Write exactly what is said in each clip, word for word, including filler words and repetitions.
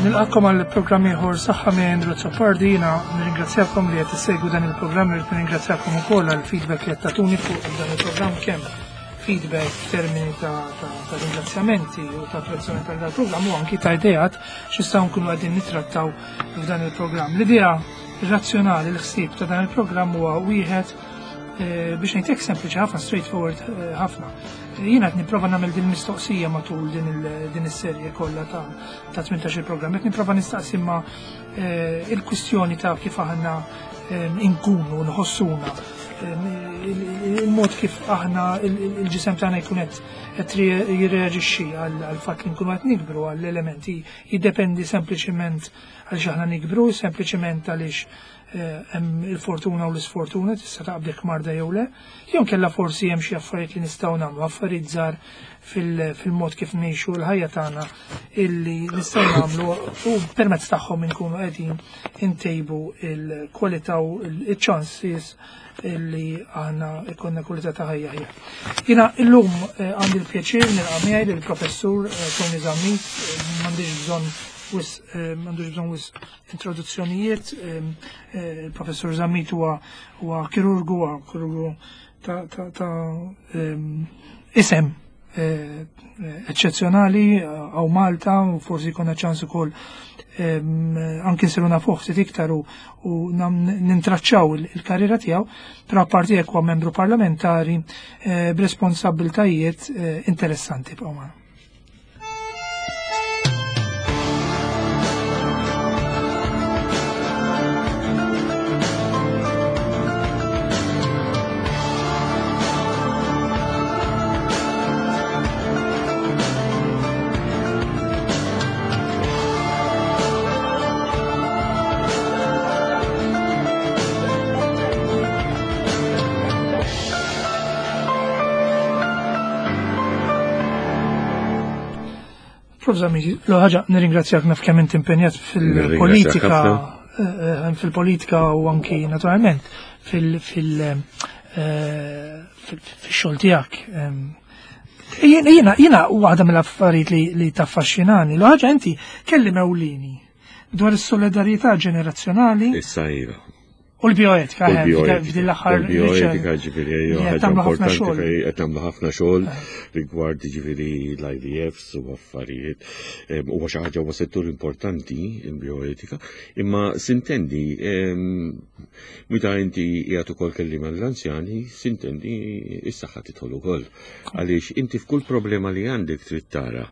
Nilqakom għal programm ieħor Saħħa minn Andrew Azzopardi. Jiena nirringrazzjakom li qed issegwu dan il-programm, irrid nirringrazzjakom ukoll għal feedback li qed tagħtuni fuq dan il-programm, kemm feedback f'termini ta', ta, ta ringrazzjamenti u ta' apprezzament tal dal-programm u anki ta' ideat x'nistgħu nkunu qegħdin nittrattaw f'dan il-programm. L-idea razzjonali, l-ħsieb ta' dan il-programm huwa wieħed eh, biex ngħidlek sempliċi ħafna, straightforward eh, ħafna. Jiena qed nipprova nagħmel din mistoqsija matul din il- din is-serje kollha ta' ta' tmintax il-programm. Qed nipprova nistaqsi ma eh, il-kwistjoni ta' kif aħna eh, inkunu nħossuna, eh, il- il-mod kif aħna il- il- il-ġisem tagħna jkun qed qed jirreaġixxi għal għal fatt li nkunu qed nikbru, għall elementi jiddependi sempliċiment għaliex aħna nikbru, sempliċiment għaliex eh, hemm il-fortuna u l-isfortuna tista' taqbdek marda jew le, jew kella forsi hemm xi affarijiet li nistgħu nagħmlu, affarijiet żgħar fil- fil-mod kif ngħixu l-ħajja tagħna illi nistgħu nagħmlu u permezz tagħhom inkunu qegħdin intejbu il-kwalità u il-chances illi aħna ikonna kwalità ta' ħajja ħija. Jiena illum eh, għandi l-pjaċir nilqa' miegħi lill-professur eh, Tony Zammit, eh, m'għandix bżonn wisq eh, m'għandux bżonn wisq introduzzjonijiet. eh, eh, Il-professur Zammit huwa huwa kirurgu, huwa kirurgu ta' ta' ta' em, isem eh, eccezzjonali hawn Malta u forsi jkollna ċans ukoll em, anki nsiru nafuh ftit iktar u, u nam- nintraċċaw il- il-karriera tiegħu, però apparti hekk huwa membru parlamentari eh, b'responsabbiltajiet eh, interessanti bqgħu magħna. Prof Zammit, l-ħaġa nirringrazzjak, naf kemm inti impenjat fil-politika, ħafna. eh, fil-politika u anki naturalment fil- fil- eh, fil- fil-xogħol tiegħek. Em, Jiena jiena jiena waħda mill-affarijiet li, li taffaxxinani, l-ħaġa inti kelli ewlieni dwar is-solidarjetà ġenerazzjonali Issa iva. u l-bioetika, U eh, l-bioetika. f'din l-aħħar U l-bioetika ġifieri li hija qed ħaġa tagħmlu ħafna importanti xogħol. fej qed tagħmlu ħafna xogħol rigward ġifieri l-I V Fs u affarijiet. Em, Huwa xi ħaġa, huwa settur importanti il-bioetika, imma sintendi em, meta inti qiegħed ukoll kelliem għall-anzjani, sintendi is-saħħa tidħol ukoll. Għaliex inti f'kull problema li għandek trid tara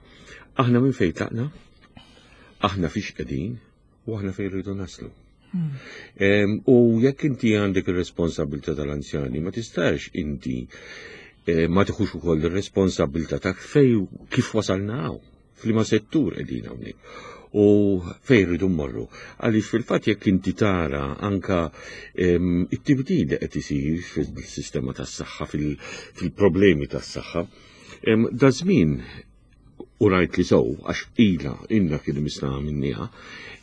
aħna minn fejn tlaqna, aħna fiex qegħdin u aħna fejn rridu naslu. Em, U jekk inti għandek ir-responsabilità tal-anzjani, ma tistax inti eh, ma tiħux ukoll ir-responsabilità ta' fej kif wasalna hawn, f'liema settur qegħdin hawnhekk u fejn rridu mmorru. Għaliex fil-fatt jekk inti tara anka em, it-tibdil li qed isir fil-sistema tas-saħħa, fil- fil-problemi tas-saħħa, em, da żmien u rajt li sow, għax ila, inna kien misna minniha,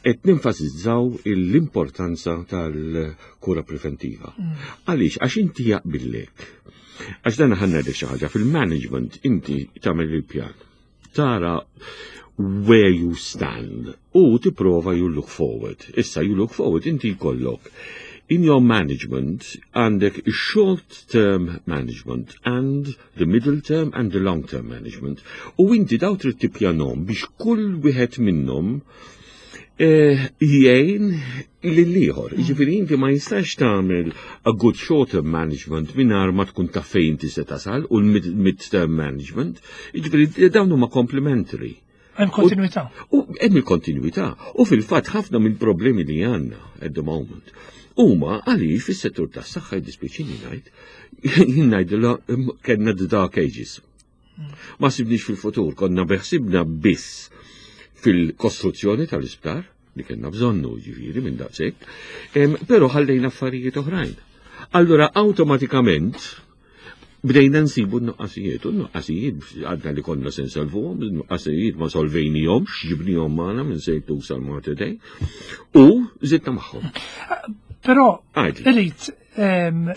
qed nenfasizzaw l-importanza tal-kura preventiva. Għaliex, għax inti jaqbillek. Għax dan ħa ngħidlek xi ħaġa, fil-management inti tagħmel il-pjan. Tara where you stand u tipprova you look forward. Issa you look forward, inti jkollok in your management għandek short term management and the middle term and the long term management. U inti daw trid tippjanhom biex kull wieħed minnhom eh, jgħin lill-ieħor. Jiġifieri inti ma jistax tagħmel a good short term management mingħajr ma tkun taf fejn inti se tasal u l-mid term management. Jiġifieri dawn huma complementary. Hemm kontinuità. U hemm il-kontinuità. U fil-fatt ħafna mill-problemi li għandna at the moment huma għaliex fis-settur tas-saħħa, jiddispjaċini ngħid, jien ngħidilha kellna the dark ages. Ma ħsibniex fil-futur, konna beħsibna biss fil-kostruzzjoni tal-isptar li kellna bżonnu ġifieri minn daqshekk, em, però ħallejna affarijiet oħrajn. Allura awtomatikament bdejna nsibu n-nuqqasijiet, u n-nuqqasijiet għadna li konna se nsolvuhom, n-nuqqasijiet ma solvejnihomx, ġibnihom magħna minn Saint Luke's għal Mater Dei, u zidna magħhom. Però Għajdi. irrid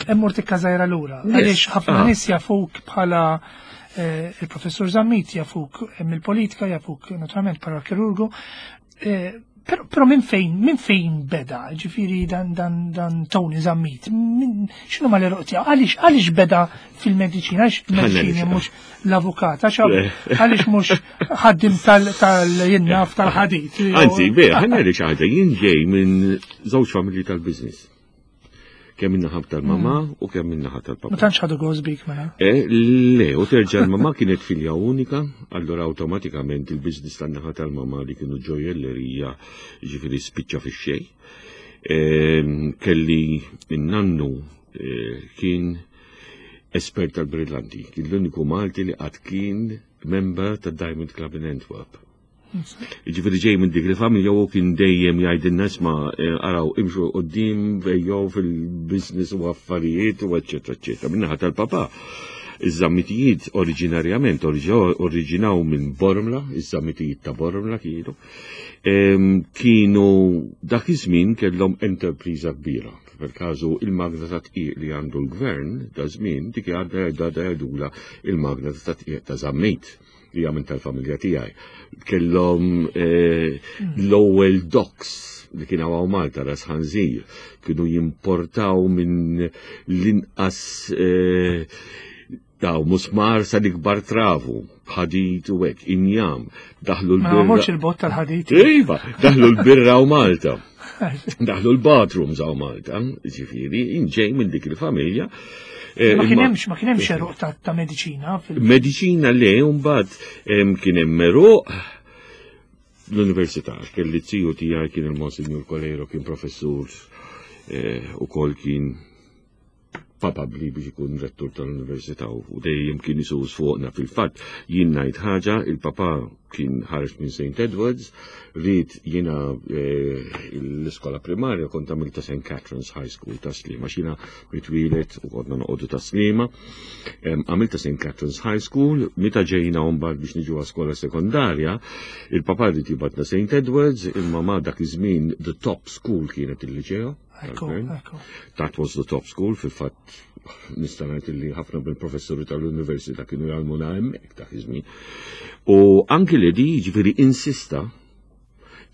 immur tikka żgħira lura. Yes. Għaliex ħafna Ah. nies jafuk bħala eh, il-professur Zammit, jafuk mill-politika, jafuk naturalment bħala kirurgu. Eh, Pero, pero minn fejn, minn fejn beda, ġifieri dan, dan, dan Tony Zammit, min, x'inhu ma l-għeruq tiegħu, għaliex, għaliex beda fil-mediċina, għaliex il-mediċina mhux l-avukat, għax għaliex mhux ħaddim tal-jinnaf tal-ħadid. Anzi, be, ħa ngħidlek xi ħaġa, jien ġej minn żewġ familji tal-business. Kemm min-naħa tal-mama u kemm min-naħa tal-papa. Ma tantx ħadu gost bik mela. Eh, le, u terġa' l-mama kienet filja unika, allora automatikament il-business tan-naħa tal-mama li kienu ġojellerija, ġifieri, spiċċa fix-xejn. Ehm, kelli in-nannu eh, kien espert tal-brillanti, kien l-uniku Malti li qatt kien member tad Diamond Club in Antwerp. Ġifieri ġej minn dik il-familja u kien dejjem jgħidilna, "Isma', eh, araw, imxu quddiem, ejjew fil-business u affarijiet u eċċetera eċċetera." Min-naħa tal-papa, iż-Zammitijiet oriġinarjament oriġinaw minn Bormla, iż-Zammitijiet ta' Bormla kienu. Em, Kienu dak iż-żmien kellhom enterpriża kbira. Per każu il-magna ta' tqiq li għandu l-gvern da żmien dik għadha jgħidula il-magna ta' tqiq ta' Zammit li hija minn tal-familja tiegħi. Kellhom eh, l-ewwel docks li kien hawn Malta, Ras Ħanżir, kienu jimportaw minn l-inqas eh, daw musmar sa l-ikbar travu, ħadid u hekk, injam, daħlu Ma l-birra. morx il-bot tal-ħadid. Iva, daħlu l-birra u Malta. Daħlu l-bathrooms hawn Malta, ġifieri, inġej minn dik il-familja. Eh, Ma kien imma- hemmx, ma kien hemmx għeruq ta' ta' mediċina fil- Mediċina le, mbagħad em, kien hemm għeruq l-università, kelli ziju tiegħi kien il-Monsignor Coleiro, kien professur eh, u kol kien papabli biex ikun rettur tal-università u dejjem kien isus fuqna. Fil-fatt, jien ngħid ħaġa, il-papa kien ħareġ minn Saint Edwards, ried jiena eh, l-iskola primarja kont għamilta Saint Catherine's High School ta' Sliema, xina mitwilet u konna noqogħdu ta' Sliema. Em, Għamilta Saint Catherine's High School, meta ġejna mbagħad biex niġu skola sekondarja, il-papa ried jibgħatna Saint Edwards, imma ma dak iż-żmien the top school kienet il-liċeo Ekku, tal-gvern. ekku. That was the top school, fil-fatt nista' ngħid li ħafna mill-professuri tal-università kienu jgħallmuna hemmhekk dak iż-żmien. U anki li di, ġifieri, insista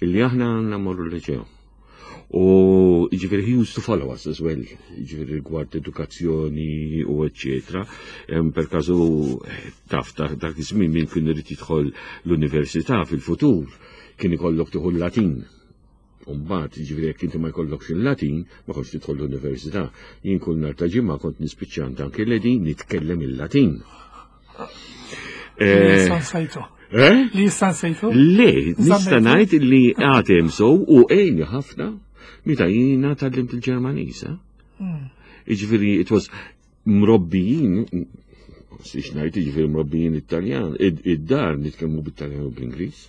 illi aħna għandna morru l-liċeo. U ġifieri he used to follow us as well, ġifieri rigward edukazzjoni u eccetera. Em, Per każu taf dak dak iż-żmien min kien irid jidħol l-università fil-futur kien ikollok tieħu l-Latin. Umbagħad, ġifieri, jekk inti ma jkollokx il-Latin, ma kontx tidħol l-università. Jien kull nhar ta' ġimgħa kont nispiċċa għand anke Ledi nitkellem il-Latin. Li Eh, issa nsejtu. Eh? Li issa nsejtu. Le, nista' Żammejtu? ngħid li għadem so u għeni ħafna meta jiena tgħallimt il-Ġermaniż. Eh? Mm. Jiġifieri, it was mrobbijin, siex ngħid, jiġifieri mrobbijin Italjan, id-dar nitkellmu bit-Taljan u bl-Ingliż.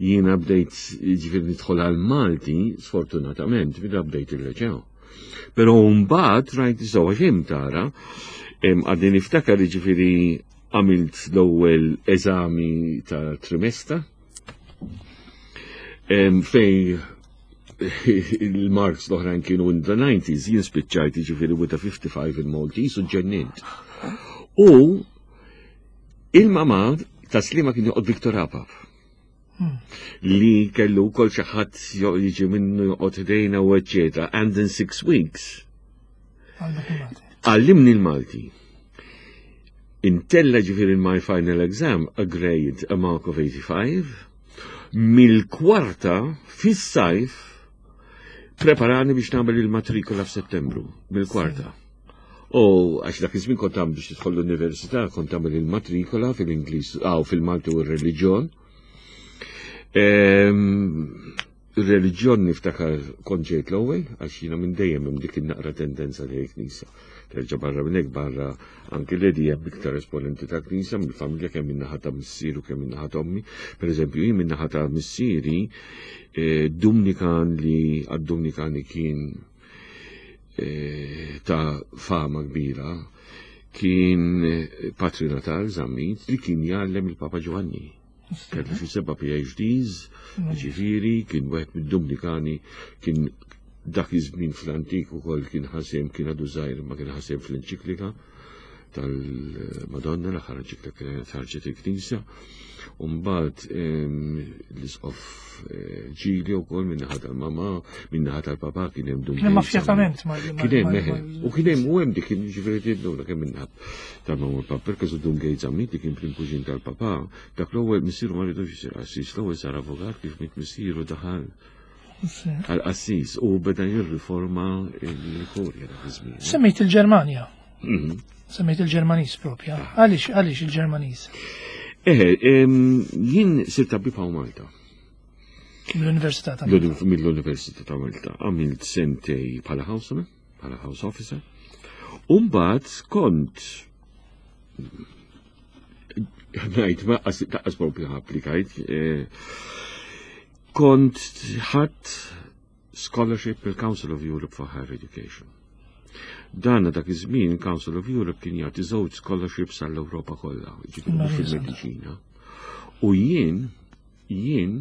Jiena bdejt, jiġifieri, nidħol għal Malti, sfortunatament, meta bdejt il-liċeo. Però mbagħad rajt sewa xejn tara, em, għadni niftakar, jiġifieri, għamilt l-ewwel eżami ta' trimesta em, fej il-marks l-oħrajn kienu in the nineties, jien spiċċajt, ġifieri, with a fifty-five in Maltese u ġennint. U il-mama ta' Sliema kien joqgħod Victor Apap li kellu kol xi ħadd jiġi minnu joqgħod ħdejna u eċċetera. And in six weeks Għallmek il-Malti. għallimni l-Malti. Intella, ġifieri, in my final exam a grade, a mark of eighty-five, mill-kwarta fis-sajf preparani biex nagħmel il-matrikola f'Settembru, mill-kwarta. U għax dak iż-żmien kont tagħmel biex tidħol l-università, kont tagħmel il-matrikola fil-Ingliż, aw fil-Malti u r-reliġjon. Ehm, Il-reliġjon niftakar kont ġejt l-ewwel, għax jiena minn dejjem hemm dik in-naqra tendenza li knisja. Terġa' barra minn hekk, barra anki li hemm iktar esponenti ta' knisja mill-familja, kemm min-naħa ta' missier u kemm min-naħa ta' ommi. Per eżempju, jien min-naħa ta' missieri eh, Dumnikan li għad-Dumnikani kien eh, ta' fama kbira kien eh, Patri Natal Zammit li kien jgħallem il-Papa Giovanni. Kellu xi seba' P H Ds, ġifieri, kien wieħed mid-Dumnikani, kien dak iż-żmien fl-antik ukoll kien ħasem, kien għadu żgħir ma kien ħasem fl-enċiklika. Tal-Madonna, l-aħħar ġikla kienet ħarġet il-Knisja. Umbagħad l-isqof Ġili u kol minnaħa tal-mama, minnaħa tal-papa kien hemm Dun. Kien hemm affjatament ma' Kien hemm meħe. U kien hemm u hemm dik ġifieri tidlu kemm minnaħa tal-mama u l-papa, perché su Dun Gates Zammit li kien prim kuġin tal-papa, dak l-ewwel missieru ma ridux isir qassis, l-ewwel sar avukat, kif miet missieru daħal għal-qassis u beda jirriforma l-kurja dak iż-żmien. Semmejt il-Ġermanja. Mhm. Semmejt il-Ġermaniż propja. Għaliex għaliex il-Ġermaniż? Eħe, jien sirt tabib hawn Malta. Mill-Università ta' Malta. Mill-Università ta' Malta. Għamilt sentejn bħala houseman, bħala house officer. Umbagħad kont ngħid ma taqqas propju applikajt, eh, kont ħadt scholarship il-Council of Europe for Higher Education. Dan dak iż-żmien Council of Europe kien jagħti żewġ scholarships għall-Ewropa kollha, ġifieri mhux fil-mediċina. U jien jien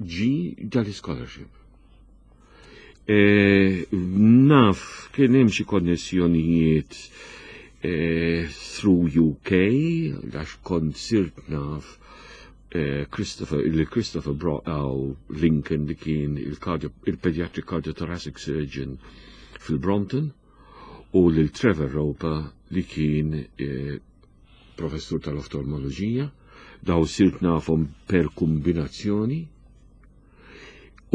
ġi dal-scholarship. E, naf kien hemm xi konnessjonijiet e, through U K, għax kont sirt naf eh, Christopher, il Christopher Brow Lincoln li kien il-pediatric cardiothoracic surgeon fil-Brompton u lil Trevor Roper li kien eh, professur tal-oftalmoloġija, daw sirt nafhom per kombinazzjoni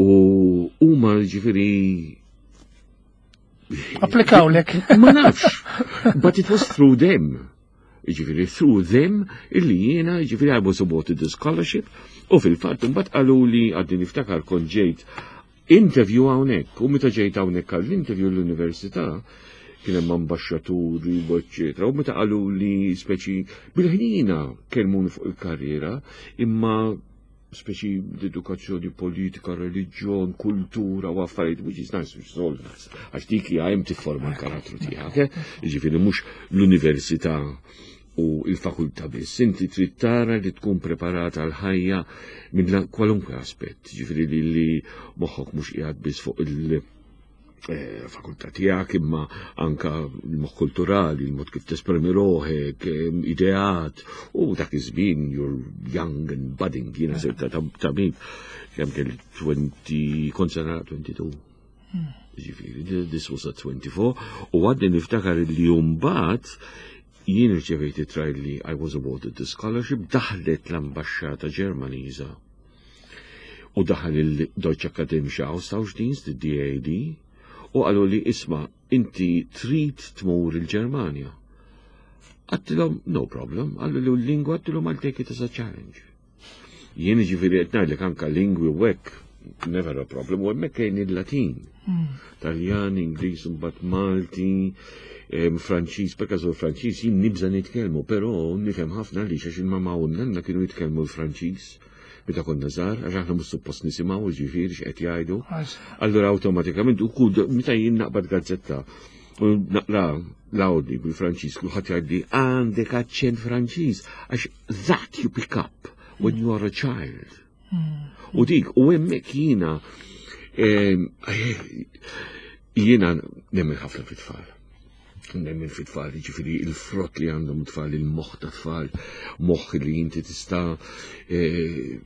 u huma ġifieri Applikawlek. Ma nafx, but it was through them. Ġifieri, through them, illi jiena, ġifieri, I was awarded the scholarship, u fil-fatt, mbagħad qalu li, għadni niftakar, kont ġejt interview hawnhekk, u meta ġejt hawnhekk għall-interview l-università, kien hemm ambaxxaturi u eċċetera, u meta qalu li speċi bil-ħnina kellmuni fuq il-karriera, imma speċi l-edukazzjoni politika, reliġjon, kultura u affarijiet, which is nice, which is all nice. Għax dik hija hemm tifforma l-karattru tiegħek, eh? Jiġifieri mhux l-università u il-fakultà biss. Inti trid tara li tkun preparata għal ħajja minn kwalunkwe aspett, ġifieri li li moħħok mhux qiegħed biss fuq il- eh, fakultà tiegħek imma anka l-moħħ kulturali, il-mod kif tesprimi ruħek, eh, ideat, u dak iż-żmien you're young and budding, jiena sirt tabib kemm kelli twenty, kont sena twenty-two. Ġifieri, this was at twenty-four, u għadni niftakar li mbagħad jien irċevejt ittra li I was awarded the scholarship, daħlet l-ambasċata Ġermaniża u daħal il-Deutsche Akademische Austauschdienst, il-D A D, u qalu li, "Isma', inti trid tmur il-Ġermanja?" Għedtilhom, "No problem." Qalu li l-lingwa, għedtilhom, "I'll take it as a challenge." Jien ġifieri qed ngħidlek anka lingwi u hekk, never a problem, u hemmhekk kien il-Latin. Taljan, Ingliż, mbagħad Malti, em, Franċiż, per każ Franċiż jien nibża nitkellmu, però nifhem ħafna li għax il-mama u n-nanna kienu jitkellmu l-Franċiż meta konna żgħar, għax aħna mhux suppost nisimgħu ġifieri x'qed jgħidu. Allura awtomatikament u kull meta jien naqbad gazzetta u naqra l-Audi bil-Franċiż, kulħadd jgħidli, "Għandek aċċent Franċiż," għax that you pick up when you are a child. U dik, u hemmhekk jiena em, jiena nemmen ħafna fit-tfal. Nemmen fit-tfal, ġifieri il-frott li għandhom tfal, il-moħħ ta' tfal, moħħ li inti tista' eh,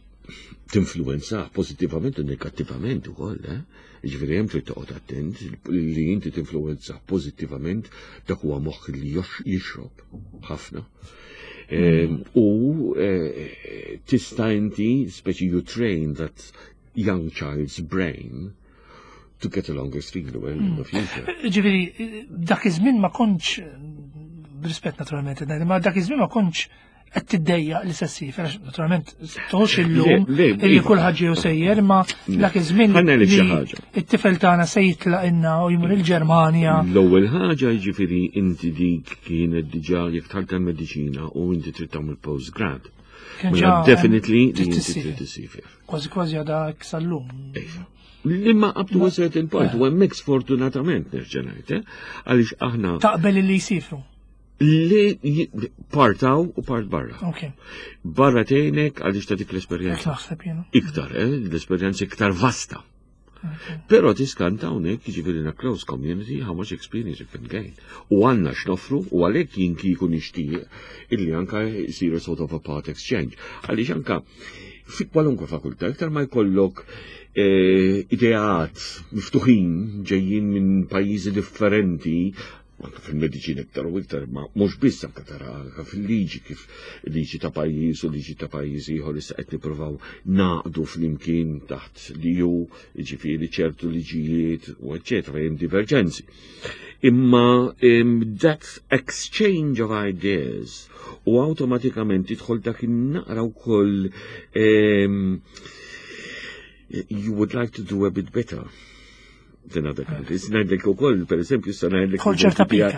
tinfluenza pozittivament u negattivament ukoll, eh? Ġifieri hemm trid toqgħod attent li inti tinfluenza pożittivament, dak huwa moħħ li jixrob ħafna. Em, U eh, tista' inti speċi you train that young child's brain to get along extremely well in the future. Ġifieri, dak iż-żmien ma kontx, b'rispett naturalment, ma dak iż-żmien ma kontx qed tiddejjaq li se ssiefer, għax naturalment toħux illum Le, le, illi iva. kulħadd ġew sejjer, ma dak iż-żmien Ħa ngħidlek xi li ħaġa. it-tifel tagħna se jitlaq inna u jmur il-Ġermanja. L-ewwel ħaġa, jiġifieri inti dik kienet diġà jekk dħalt tal-mediċina u inti trid tagħmel postgrad. Kien Mela ġa definitely li trid inti tissiefer. trid issiefer. Kważi kważi għadha sal-lum. Imma up to a certain point, u hemmhekk sfortunatament nerġa' ngħid, eh, għaliex aħna Taqbel li jsifru. Li j- part hawn u part barra. Ok, Barra tgħinek għaliex ta' dik hekk l-esperjenza. naħseb jiena. Iktar, eh, l-esperjenza iktar vasta. Però tiskanta hawnhekk, jiġifieri in a close community, how much experience you can gain. U għandna x'noffru u għalhekk jien kieku nixtieq illi anka jsir a sort of a part exchange. Għaliex anka fi kwalunkwe fakultà, iktar ma jkollok eh, ideat miftuħin ġejjin minn pajjiżi differenti, anka fil-mediċina iktar u iktar, ma mhux biss, anka tara anka fil-liġi, kif liġi ta' pajjiż u liġi ta' pajjiż ieħor issa qed nippruvaw naqdu flimkien taħt l-E U, jiġifieri ċertu liġijiet u eċċetera, hemm diverġenzi. Imma um, that exchange of ideas u awtomatikament tidħol dak in-naqra wkoll um, you would like to do a bit better than other countries. Ngħidlek ukoll, per eżempju, issa ngħidlek Kol ċerta pika.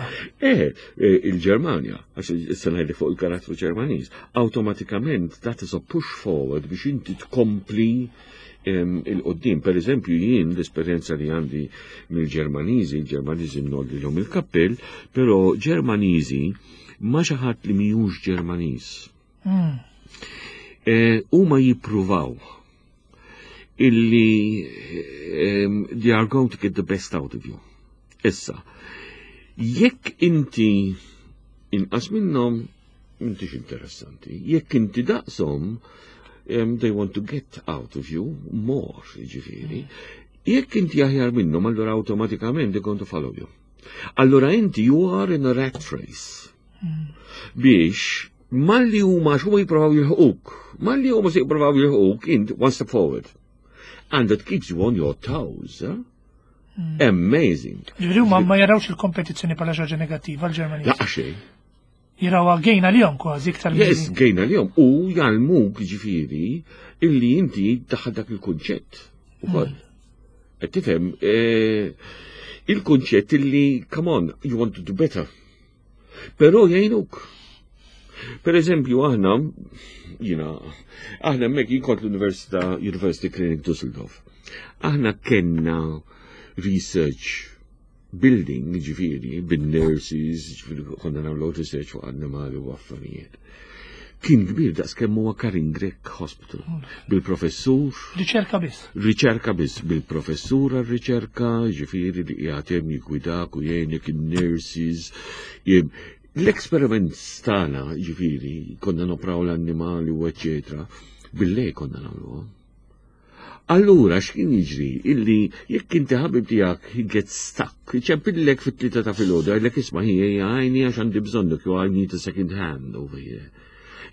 Eh, eh, il-Ġermanja, għax issa ngħidlek fuq il-karattru Ġermaniż, awtomatikament that is a push forward biex inti tkompli em, il-qoddim. Per eżempju, jien l-esperjenza li għandi mill-Ġermaniżi, il-Ġermaniżi ngħollilhom il-kappell, però Ġermaniżi ma xi ħadd li mhijiex Ġermaniż. Mm. Eh, Huma jippruvaw illi um, they are going to get the best out of you. Issa, jekk inti inqas minnhom, intix interessanti. Jekk inti daqshom, um, they want to get out of you more, jiġifieri. Jekk inti aħjar minnhom, allura awtomatikament they going to follow you. Allura inti you are in a rat race. Biex malli huma x'huma jippruvaw jilħquk, malli huma se jippruvaw jilħquk, int one step forward. And that keeps you on your toes. Eh? Amazing. Ġifieri huma ma jarawx il-kompetizzjoni bħala xi ħaġa negattiva l-Ġermaniż. La xejn. Jarawha gain għalihom kważi iktar Yes, milli- gain għalihom. U jgħallmuk, ġifieri, illi inti daħal dak il-kunċett. Ukoll. Qed tifhem, eh, il-kunċett illi, come on, you want to do better. Però jgħinuk. Per eżempju, aħna, jina, aħna hemmhekk jien kont l-Università, University Clinic Düsseldorf. Aħna kenna research building, ġifieri, bin-nurses, ġifieri, konna nagħmlu research fuq annimali u affarijiet. Kien kbir daqs kemm huwa Karin Grech Hospital. Bil-professur, Riċerka biss. Riċerka biss, bil-professur għal-riċerka, ġifieri li qiegħed hemm jiggwidak u jgħinek, in-nurses. jem- L-experiments tagħna, ġifieri, konna nopraw l-annimali u eċċetera, bil-lejl konna nagħmluha. Allura, x'kien jiġri? Illi jekk inti ħabib tiegħek he gets stuck, iċempillek fit-tlieta ta' filgħodu, jgħidlek, "Isma' ħija, għajni għax għandi bżonnok," jew "I need a second hand over here."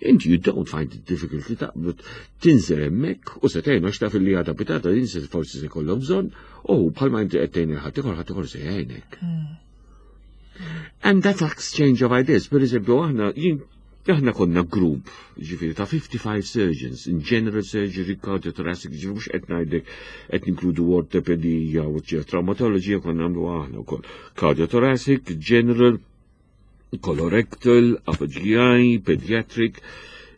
Inti you don't find it difficult li taqbad tinżel hemmhekk u se tgħinu għax taf li għada pitgħada din se forsi se jkollok bżonn u bħalma inti qed tgħin il-ħaddieħor, ħaddieħor se jgħinek. And that exchange of ideas, per eżempju, aħna jien aħna konna group, ġifieri, ta' fifty-five surgeons, in general surgery, cardiothoracic, ġifieri mhux qed ngħidlek qed ninkludu ortopedija u ċer traumatology konna nagħmlu aħna wkoll. Cardiothoracic, general, colorectal, upper G I, pediatric,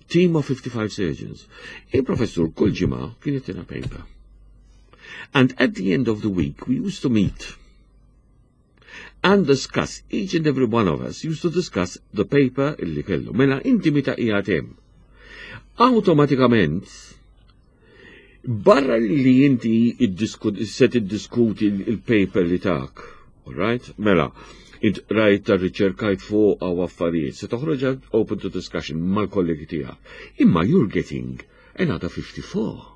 team of fifty-five surgeons. Il-professur kull ġimgħa kien jtina paper. And at the end of the week, we used to meet and discuss, each and every one of us used to discuss the paper illi kellu. Mela inti meta qiegħed hemm, awtomatikament, barra li inti iddisku- se tiddiskuti il-paper li tak, all right? Mela, int rajt ta' riċerkajt fuq għaw affarijiet, se toħroġha open to discussion mal-kollegi tiegħek. Imma you're getting another fifty-four.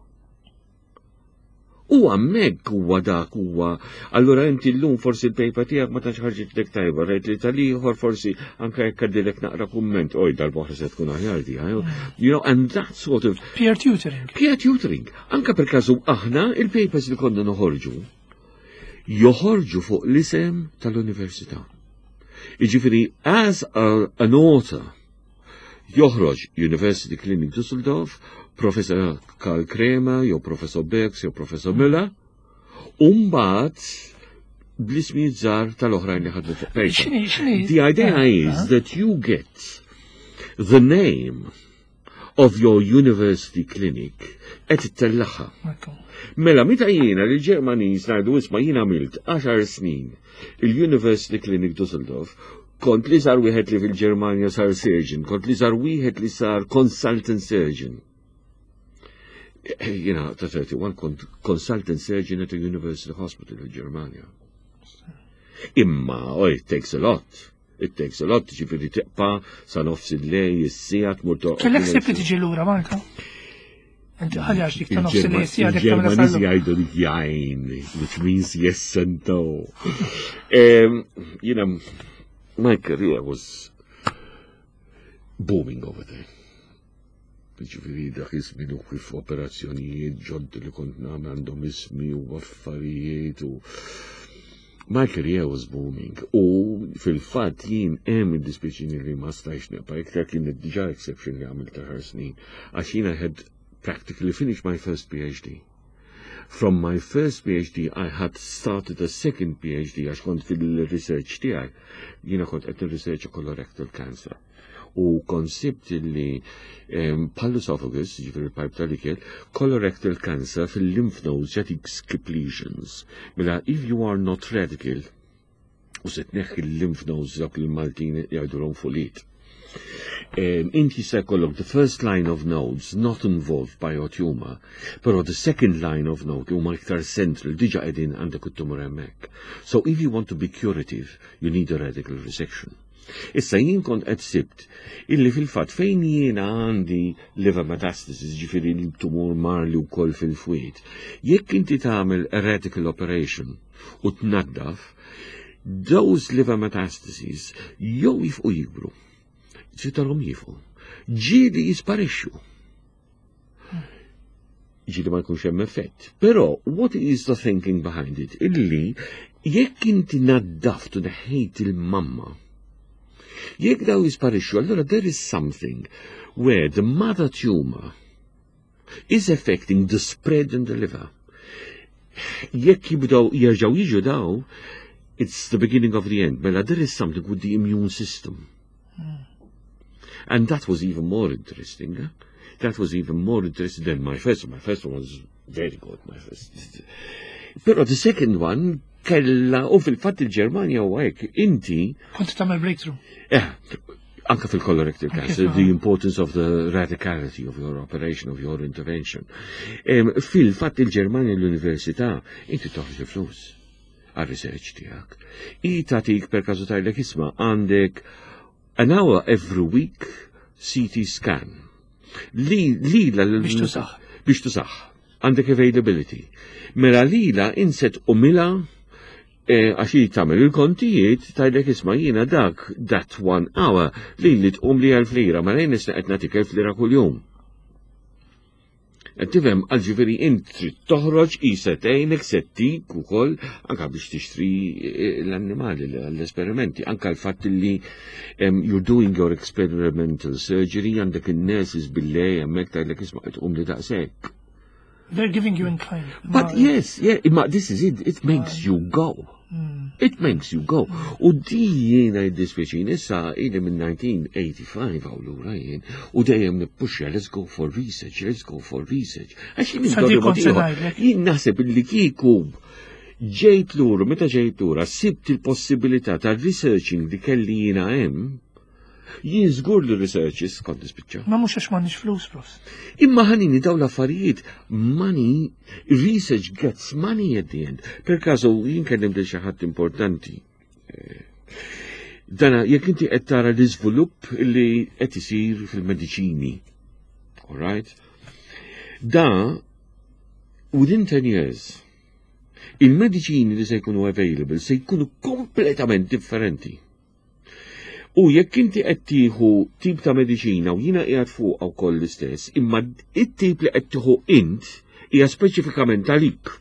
U hemmhekk huwa dak huwa. Allura inti llum forsi il-paper tiegħek ma tantx ħarġitlek tajba, rajt li tal-ieħor forsi anke jekk għaddilek naqra kumment, oj, dal-boħra se tkun aħjar di. You know, and that sort of Peer tutoring. Peer tutoring. Anka per każu aħna il-papers li konna noħorġu, joħorġu fuq l-isem tal-università. Jiġifieri, as a, an author, joħroġ University Clinic Düsseldorf, Professor Karl Kramer, jew Professor Bergs, jew Professor Müller, u mbagħad bl-ismijiet żgħar tal-oħrajn li ħadmu fuq paper. X'inhi, x'inhi? The idea is that you get the name of your university clinic qed ittellagħha. Ekku. Mela, meta jiena li Ġermaniż ngħidu, "Isma', jiena għamilt għaxar snin il-University Clinic Düsseldorf, kont l-iżgħar wieħed li fil-Ġermanja sar surgeon, kont l-iżgħar wieħed li sar consultant surgeon." Jiena ta' thirty-one kont consultant surgeon at a university hospital il-Ġermanja. Imma, oh, it takes a lot. It takes a lot, ġifieri tibqa' sa nofs il-lejl, is-siegħa tmur toqgħod. Kellek ħsieb li tiġi lura Malta? Inti ħalli għax dik ta' nofs il-lejl siegħa dik tagħmilha Il-Ġermaniżi sal jgħidu li jein, which means yes and no. Um, you know, my career was booming over there. Ġifieri dak iż-żmien u kif operazzjonijiet ġoddi li kont nagħmel għandhom ismi u affarijiet u my career was booming. U fil-fatt jien hemm id-dispjaċini li ma stajx nibqa' iktar, kien diġà exception li għamilt ta' snin. Għax jien I had practically finished my first P H D. From my first P H D, I had started a second P H D għax kont fil-research tiegħi. Jiena kont qed research colorectal cancer. U konsibt li um, bħall-esophagus, ġifieri il-pipe tal-ikel, colorectal cancer fil-lymph nodes jagħtik skip lesions. Mela, if you are not radical, u se tneħħi il-lymph nodes, dak il-Maltin jgħidulhom fulit. Um, inti se jkollok the first line of nodes not involved by your tumor, però the second line of node huma iktar central, diġà qegħdin għandek it-tumor hemmhekk. So if you want to be curative, you need a radical resection. Issa jien kont qed sibt illi fil-fatt fejn jiena għandi liver metastasis, ġifieri l-tumur marli wkoll fil-fwied, jekk inti tagħmel a radical operation u tnaddaf, those liver metastases jew jieqfu jikbru, ġitarhom jieqfu, ġieli jisparixxu. Ġieli ma jkunx hemm effett. Però what is the thinking behind it? Illi jekk inti naddaft u neħħejt il-mamma, jekk daw jisparixxu, allura there is something where the mother tumor is affecting the spread in the liver. Jekk jibdew jerġgħu jiġu daw, it's the beginning of the end. Mela there is something with the immune system. And that was even more interesting. Eh? That was even more interesting than my first one. My first one was very good. My first. Però the second one kella, u fil-fatt il-Ġermanja u hekk, inti Kont tagħmel breakthrough. Eh, anka fil-colorectal cancer, the importance of the radicality of your operation, of your intervention. Um, fil-fatt il-Ġermanja l-Università, inti toħroġ il-flus għal-research tiegħek. I tagħtik per każu tgħidlek, "Isma', għandek an hour every week C T scan." Li, li la Biex tużah. Biex tużah. Għandek availability. Mela lila inset u mila eh, għax hi tagħmel il-kontijiet, tgħidlek, "Isma', jiena dak that one hour li li tqum li elf lira, ma lejn nisna qed nagħtik elf lira kuljum." Qed tifhem, għal ġifieri int trid toħroġ i setejnek settik ukoll anka biex tixtri eh, l-annimali l-esperimenti, anka l-fatt li um, you're doing your experimental surgery, għandek in-nurses bil-lejl hemmhekk, tgħidlek, "Isma', qed tqum li daqshekk." They're giving you in kind. But Ma- yes, yeah, imma this is it, it makes you go. It makes you go. U di jiena jiddispjaċini, issa ili minn nineteen eighty-five għaw lura jien, u dejjem nippuxja, "Let's go for research, let's go for research." Għax jien Sa di indorri kont se mod ieħor. ngħidlek. Jien naħseb illi kieku ġejt lura, meta ġejt lura, sibt il-possibilità ta' researching li kelli jiena hemm, jien żgur li researches kont nispiċċa. Ma mhux għax m'għandniex flus, prof. Imma ħanini daw l-affarijiet, money, research gets money at the end. Per każu, jien kellim lil xi ħadd importanti. Eh, Dana, jekk inti qed tara l-iżvilupp li qed isir fil-mediċini, all right? Da, within ten years, il-mediċini li se jkunu available se jkunu kompletament differenti. U jekk inti qed tieħu tip ta' mediċina u jiena qiegħed fuq wkoll l-istess, imma it-tip li qed tieħu int hija speċifikament għalik.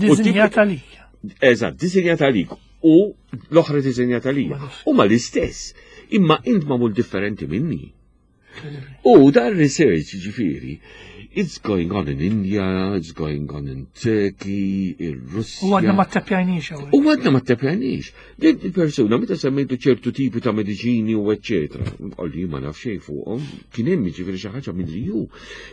Disinjat għalik. Eżatt, disinjat għalik u l-oħra disinjat għalija. Huma l-istess, imma int magħmul differenti minni. U dan research ġifieri, it's going on in India, it's going on in Turkey, ir-Russja. U għadna ma ttapjajniex hawnhekk. U għadna ma ttapjajniex. Din il-persuna, meta semmejtu ċertu tipi ta' mediċini u eccetera, għalli ma naf xejn fuqhom, kien hemm ġifieri xi ħaġa minn li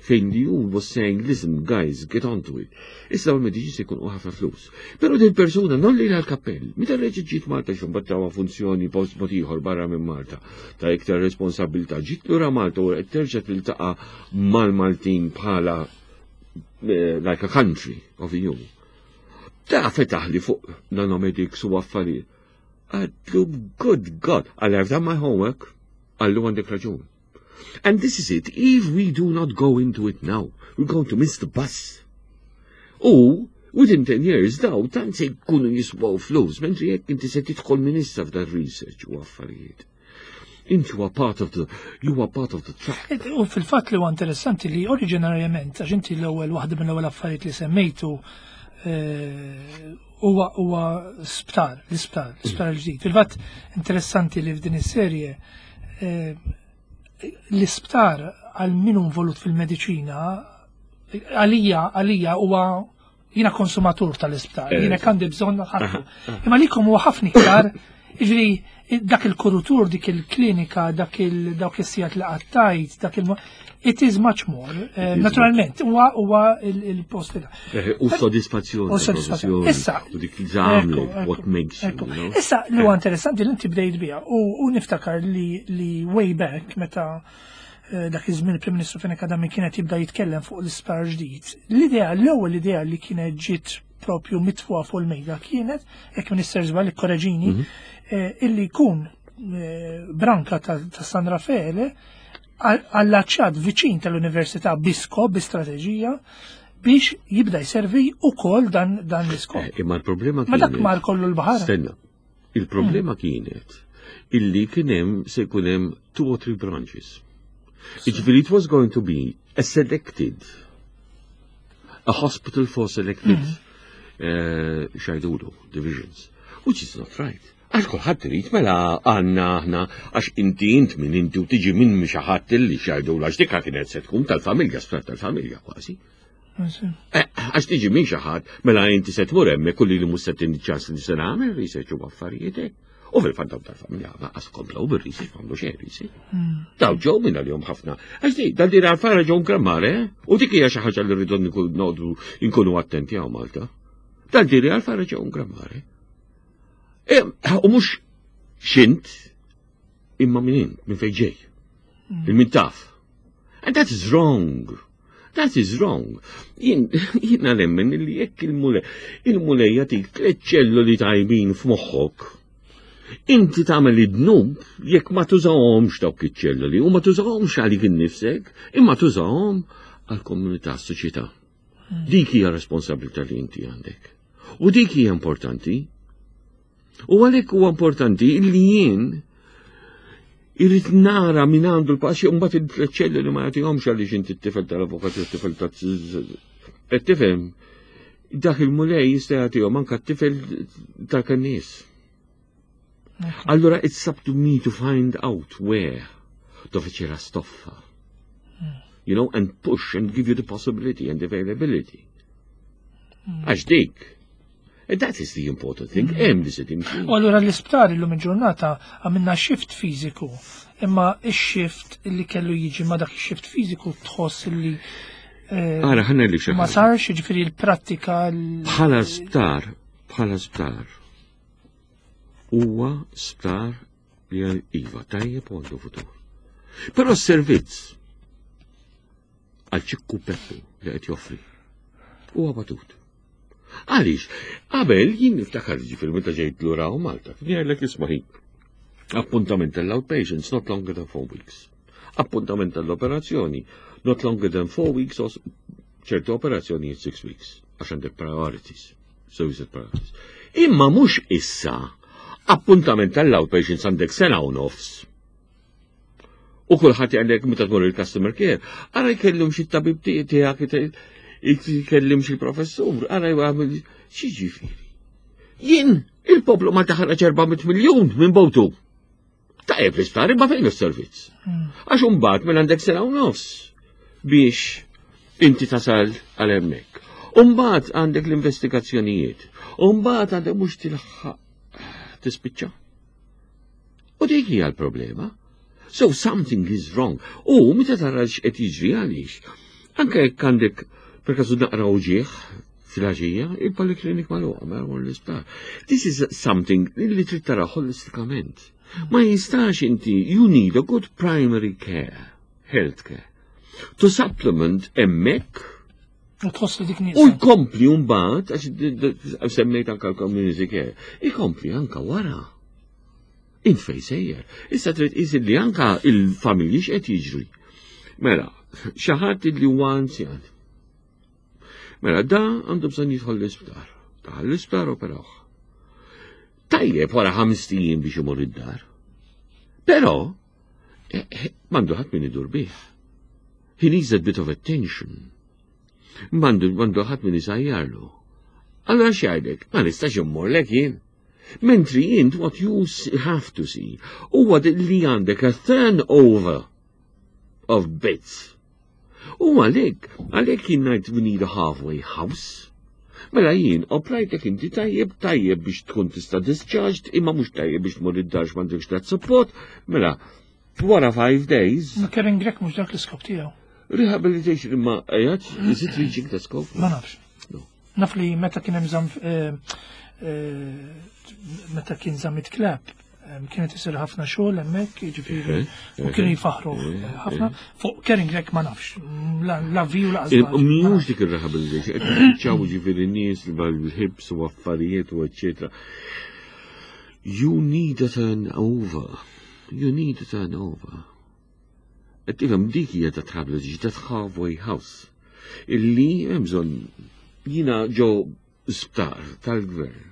fejn li hu was saying, "Listen, guys, get on to it." Issa l-mediċini se jkun ħafna flus. Però din persuna non li l-kappell, meta reġgħet ġiet Malta xumbattawa funzjoni post mod ieħor barra minn Malta ta' iktar responsabilità, ġiet lura Malta u qed terġa' tiltaqa' mal-Maltin bħala uh, like a country of E U. Da fetaħ li fuq nanomedics u affarijiet. Għedtlu, "Good God," għalli, "I've done my homework," għallu, "għandek raġun." And this is it. If we do not go into it now, we're going to miss the bus. U, within ten years, daw, tant se jkunu jiswaw flus, mentri jekk inti se tidħol minn issa f'dan research u affarijiet. Inti you are part of the, you are part of the track. U fil-fatt li huwa interessanti li oriġinarjament, għax inti l-ewwel waħda mill-ewwel affarijiet li semmejtu eh, huwa huwa sptar, l-isptar, l-isptar il-ġdid. Fil-fatt interessanti li f'din is-serje eh, l-isptar għal min hu involut fil-mediċina, għalija għalija huwa jiena konsumatur tal-isptar, Eh, jiena għandi bżonn ħafna. Imma likom huwa ħafna iktar, jiġri dak il-kuritur, dik il-klinika, dak il dawk is-sigħat li qattajt, dak il it is much more. Eh, is. Naturalment, huwa huwa il- il-post li Eh, U soddisfazzjoni. U soddisfazzjoni. Issa, U dik li tagħmlu, ekku, what makes you, ekku. you know? Issa, li huwa interessanti li inti bdejt biha u, u niftakar li, li way back meta eh, dak iż-żmien il-Prim Ministru Fenech Adami kienet jibda jitkellem fuq l-isptar ġdid. L-idea, l-ewwel idea li kienet ġiet propju mitfuha fuq il-mejda kienet, jekk Minister żball ikkoreġini, Mhm. eh, illi jkun eh, branka ta' ta' San Raffaele allaċċat viċin tal-Università bi skop, bi strateġija, biex jibda jservi ukoll dan, dan l-iskop. Eh, Imma l-problema Ma dak kienet. mar kollu l-baħar. Stenna. Il-problema kienet illi kien hemm se jkun hemm two or three branches. Jiġifieri it was going to be a selected, a hospital for selected uh, x'jgħidulu, divisions, which is not right. Għax kulħadd irid mela għandna aħna, għax inti int minn inti u tiġi minn xi ħadd illi x'jgħidulu, għax dikka kienet se tkun tal-familja, sptar tal-familja kważi. Eh, Għax tiġi minn xi ħadd, mela inti se tmur hemmhekk kulli li mhux se tini ċans li se nagħmel research u affarijiet hekk. U fil-fatt daw tal-familja lanqas komplew bir-research, m'għamlu xejn research. Daw ġew minn għalihom ħafna. Għax di, dan din affara ġew grammare, eh? U dik hija xi ħaġa li rridu nkun- noqogħdu nkunu attenti hawn Malta. Dan din affara ġew grammare. E, u mhux xint imma minn int, minn fejn ġej. Il-min taf. And that is wrong. That is wrong. Jien, jiena nemmen li jekk il-Mulej, il-Mulej jagħtik tliet ċelloli tajbin f'moħħok, inti tagħmel id-dnub jekk ma tużahomx dawk iċ-ċelloli u ma tużahomx għalik innifsek, imma tużahom għall-komunità, s-soċjetà. Dik hija responsabilità li inti għandek. U dik hija importanti. U għalhekk huwa importanti li jien irrid nara min għandu l-passi u mbagħad il-ċelloli ma jagħtihomx għaliex inti t-tifel tal-avukat u t-tifel ta' qed tifhem, dak il-Mulej jista' jagħtihom anke t-tifel tal-kannis. Allora it's up to me to find out where, dove c'è la stoffa. You know, and push and give you the possibility and availability. Għax dik. And that is the important thing. Hemm li se timxi. U allura l-isptar illum il-ġurnata għamilna shift fiżiku, imma il-shift li kellu jiġi ma dak il-shift fiżiku tħoss li eh, Ara, ħanna li xi ma ħaġa. sarx, ġifieri l-prattika l- Bħala sptar, bħala sptar, huwa sptar li għal iva tajjeb u għandu futur. Però s-servizz għal ċikku Peppu li qed joffri huwa batut. Għaliex, qabel jien niftakar, ġifieri meta ġejt lura u Malta, kien jgħidlek, "Isma' ħin, appuntament tal-outpatients not longer than four weeks. Appuntament tal-operazzjoni not longer than four weeks or ċertu operazzjoni six weeks, għax għandek priorities, so you set priorities." Imma mhux issa, appuntament tal-outpatients għandek sena u nofs. U kulħadd jgħidlek meta tmur il-customer care, "Ara jkellem xi tabib tiegħek, jkellem xi professur, ara jagħmel xi." Ġifieri. Jien il-poplu ma taħraġ erba' mitt miljun minn butu. Tajjeb l-isptar, imma fejn is-servizz? Għax imbagħad minn għandek sena u nofs biex inti tasal għal hemmhekk. Umbagħad għandek l-investigazzjonijiet. Umbagħad għandek mhux tilħaq tispiċċa. U dik hija l-problema. So something is wrong. U meta tara x'qed jiġri, għaliex. Anke jekk għandek per kasu naqra uġieħ filgħaxija, il-poliklinik magħluqa, ma jmur l-isptar. This is something li trid tara holistikament. Ma jistax inti, you need a good primary care, health care, to supplement hemmhekk U tħoss li dik U nieqsa. jkompli mbagħad, għax d- d- semmejt anka l-community care, ikompli anka wara. Int fej sejjer. Issa trid tqis li anka il-familji x'qed jiġri. Mela, xi ħadd li huwa anzjan. Mela, da għandu bżonn jidħol l-isptar. Daħal l-isptar operawh. Tajjeb wara ħames ijiem biex imur id-dar. Però, eh, eh, m'għandu ħadd min idur bih. He needs a bit of attention. M'għandu m'għandu ħadd min isajjarlu. Allora x'jgħidlek? Ma nistax immorlek jien. Mentri int what you s- have to see huwa li għandek a turnover of beds. U għalhekk, għalhekk jien ngħid we need a halfway house. Mela jien oprajtek inti tajjeb, tajjeb biex tkun tista' discharged, imma mhux tajjeb biex tmur id-dar m'għandekx that support. Mela, wara five days, Ma Karen Grech mhux dak l-iskop tiegħu. rehabilitation imma qiegħed, is it reaching the scope? Ma nafx. No. Naf li meta kien hemm żamm eh, eh, meta kien Zammit Clapp eh, kienet isir ħafna xogħol hemmhekk, jiġifieri u kienu jfaħru ħafna. Fuq Karen Grech ma nafx. La la vi u la Mhux dik il-rehabilitation, qed ċaw ġifieri nies bil-hips u affarijiet u eccetera. You need a turnover. You need a turnover. Qed tifhem dik hija ta' rehabilitation, ta' halfway house. Illi hemm bżonn jiena ġo sptar tal-gvern.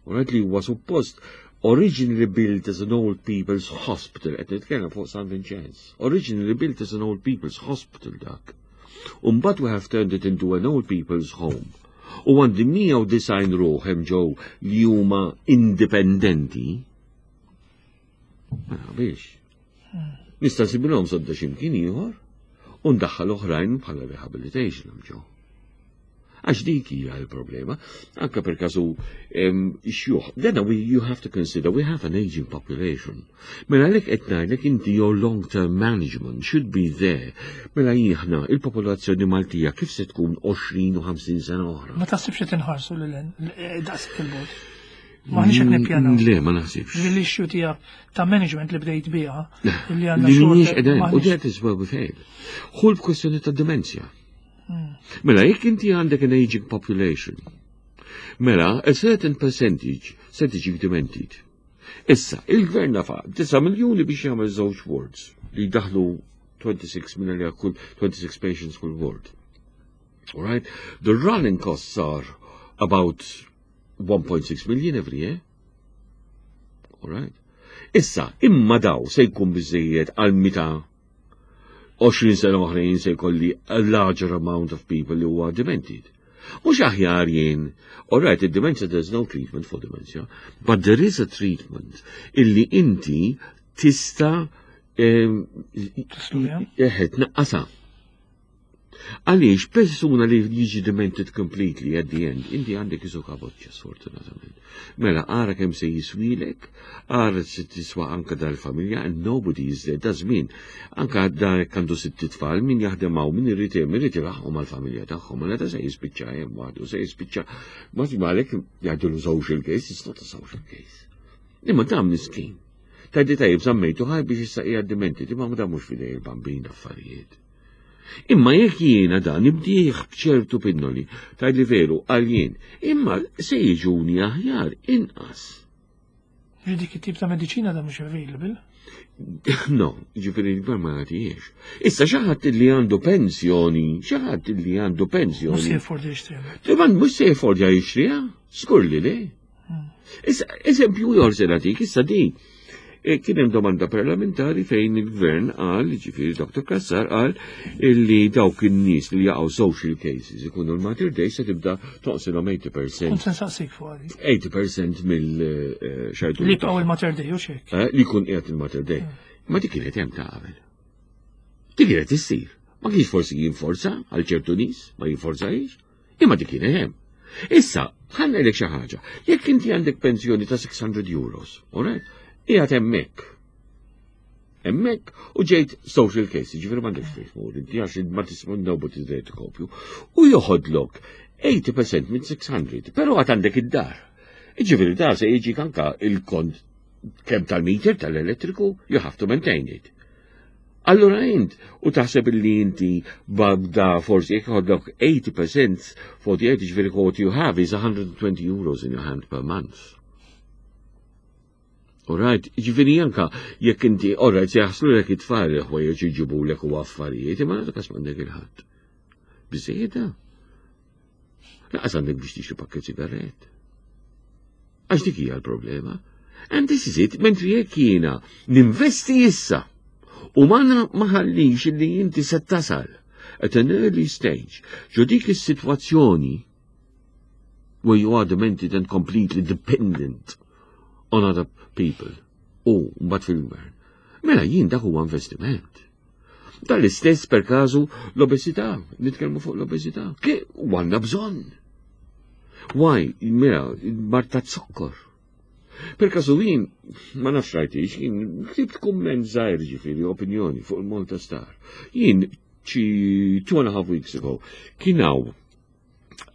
U rajt li huwa suppost originally built as an old people's hospital, qed nitkellem fuq San Vincenz. Originally built as an old people's hospital dak. Umbagħad we have turned it into an old people's home. U għandi mija u disgħin ruħ hemm ġew li huma indipendenti. Ma biex. Nista' nsibilhom sodda x'imkien ieħor u ndaħħal oħrajn bħala rehabilitation hemm ġew. Għax dik hija l-problema, anka per kasu xjuħ. Then we, you have to consider we have an aging population. Mela għalhekk qed ngħidlek inti your long-term management should be there. Mela aħna il-popolazzjoni Maltija kif se tkun għoxrin u ħamsin sena oħra? Ma taħsibx li tinħarsu lil daqshekk il-bogħod. Maħniex qed nippjanaw. Le, ma naħsibx. L-issue tiegħek ta' management li bdejt biha, li għandna Li mhijiex xogħol qegħdin, u maħniex- that is where we fail. Hu l-kwestjoni ta' demenzja. Mela, jekk inti għandek an aging population, mela, a certain percentage se tiġi demented. Issa, il-gvern nefaq disa' miljoni biex jagħmel żewġ wards li daħlu twenty-six million kull twenty-six patients kull ward. All right? The running costs are about one point six million every year. All right? Issa, imma daw se jkun biżejjed għal mita għoxrin sena oħrajn se jkolli a larger amount of people li huwa demented. Mhux aħjar jien, all right, id-dementia, there's no treatment for dementia, but there is a treatment illi inti tista' Tistudja? eħe, tnaqqasha. Għaliex persuna li jiġi demented completely at the end, inti għandek isu kaboċċa sfortunatament. Mela, ara kemm se jiswilek, ara se tiswa anka dal-familja, and nobody is there, da żmien. Anka da għandu sitt tfal, min jaħdem hawn, min irid irid ilaħħu mal-familja tagħhom, mela da se jispiċċa hemm waħdu, se jispiċċa. Ma għalhekk jgħidu social case, it's not a social case. Imma dan miskin. Tgħidli tajjeb żammejtu ħaj biex issa qiegħed demented, imma da mhux f'idej il-bambin affarijiet. Imma jekk jiena dan nibdih b'ċertu pinnoli, tgħidli veru għal jien, imma se jiġuni aħjar inqas. Ġi dik it-tip ta' mediċina da mhux available. No, ġifieri l-gvern ma jagħtihiex. Issa xi ħadd li għandu pensjoni, xi ħadd li għandu Mhux se pensjoni. jaffordja jixtriha. Timan mhux se jaffordja jixtriha, skur li le. Issa, eżempju ieħor se nagħtik, issa di. E, Kien hemm domanda parlamentari fejn il-gvern qal, ġifieri Doctor Cassar qal illi dawk in-nies li jaqgħu social cases ikunu l-Mater Dei se tibda toqsilhom tmenin fil-mija Kont se nsaqsik fuq għadi. tmenin fil-mija mill-xajtu. Li jibqgħu il-Mater Dei u xek. Li jkun qiegħed il-Mater Dei. Ma dik kienet hemm ta' qabel. Dik kienet issir. Ma kienx forsi jinforza għal ċertu nies, ma jinforzajx, imma dik kienet hemm. Issa, ħa ngħidlek xi ħaġa. Jekk inti għandek pensjoni ta' sitt mitt euros, all right? Qiegħed hemmhekk. Hemmhekk u ġejt social case, ġifieri m'għandekx fejn tmur, inti għax ma tisma' nobody there to cope you. U joħodlok tmenin fil-mija minn sitt mitt, però għad għandek id-dar. Ġifieri dar se jiġi anka il-kont kemm tal-meter tal-elettriku, you have to maintain it. Allura int, u taħseb li inti babda forsi jekk ikollok eighty percent forty-eight, ġifieri what you have is one hundred twenty euros in your hand per month. Alright, ġifieri anka jekk inti, alright, se jaħslulek it-tfal, ħwejjeġ jġibulek u affarijiet, imma nagħtu kas m'għandek il-ħadd. Biżejjed. Lanqas għandek biex tixtri pakket sigaret. Għax dik hija l-problema. And this is it, mentri jekk jiena ninvesti issa u ma ħallix li inti se tasal at an early stage ġo dik is-sitwazzjoni where you are demented and completely dependent on other people u mbagħad fil-gvern. Mela jien dak huwa investiment. Tal-istess per każu l-obesità, nitkellmu fuq l-obesità. Ke għandna bżonn. Why? Mela, mard ta' zokkor. Per kasu jien, ma nafx rajtix, jien ktibt kumment żgħir, ġifieri opinjoni fuq il-Malta Star. Jien xi two and a half weeks ago kien hawn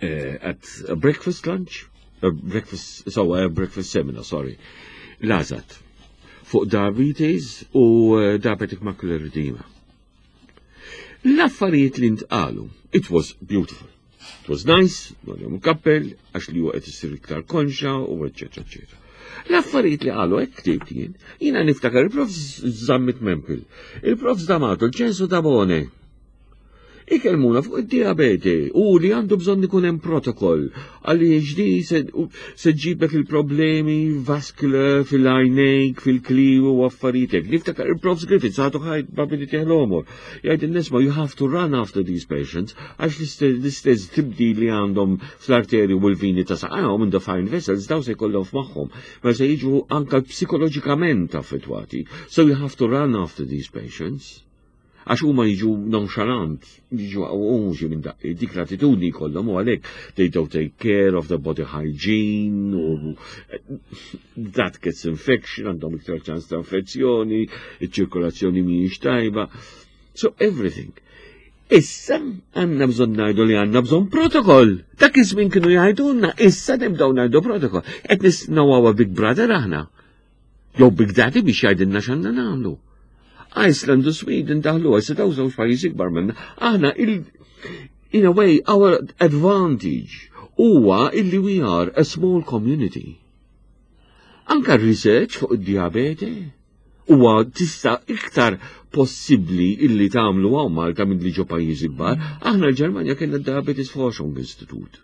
uh, at a breakfast lunch, a breakfast, so a breakfast seminar, sorry, l-AŻAD, fuq diabetes u uh, diabetic macular edema. L-affarijiet li ntqalu, it was beautiful. It was nice, għalihom kappell, għax li huwa qed issir iktar konxa u eċetera, eċetera. L-affarijiet li qalu hekk ktibt jien, jiena niftakar il-Prof Zammit Mampel, il-Prof D'Amato, il-Ċensu Tabone. Ikellmuna fuq id-diabete u li għandu bżonn ikun hemm protokoll għaliex di se se ġibek il-problemi vascular fil-għajnejk, fil-kliewi u affarijiet. Niftakar il-Prof Griffiths għadu ħaj babili teħlomor. Jgħid in-nisma you have to run after these patients għax l-istess tibdil li għandhom fl-arteri u l-vini ta' saqajhom in the fine vessels daw se jkollhom f'moħħhom, ma se jiġu anka psikoloġikament affettwati. So you have to run after these patients għax huma jiġu nonchalant, jiġu għuġi minn daqqi, dik l-attitudni kollhom u għalhekk they don't take care of the body hygiene u that gets infection, għandhom iktar ċans ta' infezzjoni, iċ-ċirkolazzjoni mhijiex tajba. So everything. Issa għandna bżonn ngħidu li għandna bżonn protokoll. Dak iż-żmien kienu jgħidulna, issa nibdew ngħidu protokoll. Qed nistennew Big Brother aħna. Jew Big Daddy biex jgħidilna x'għandna nagħmlu. Iceland u Sweden daħlu, għal daw żewġ pajjiżi kbar minna. Aħna il in a way our advantage huwa illi we are a small community. Anka research fuq id-diabete huwa tista' iktar possibbli illi tagħmlu hawn Malta minn li ġo pajjiżi kbar. Aħna l-Ġermanja kellna Diabetes Forschung Institute.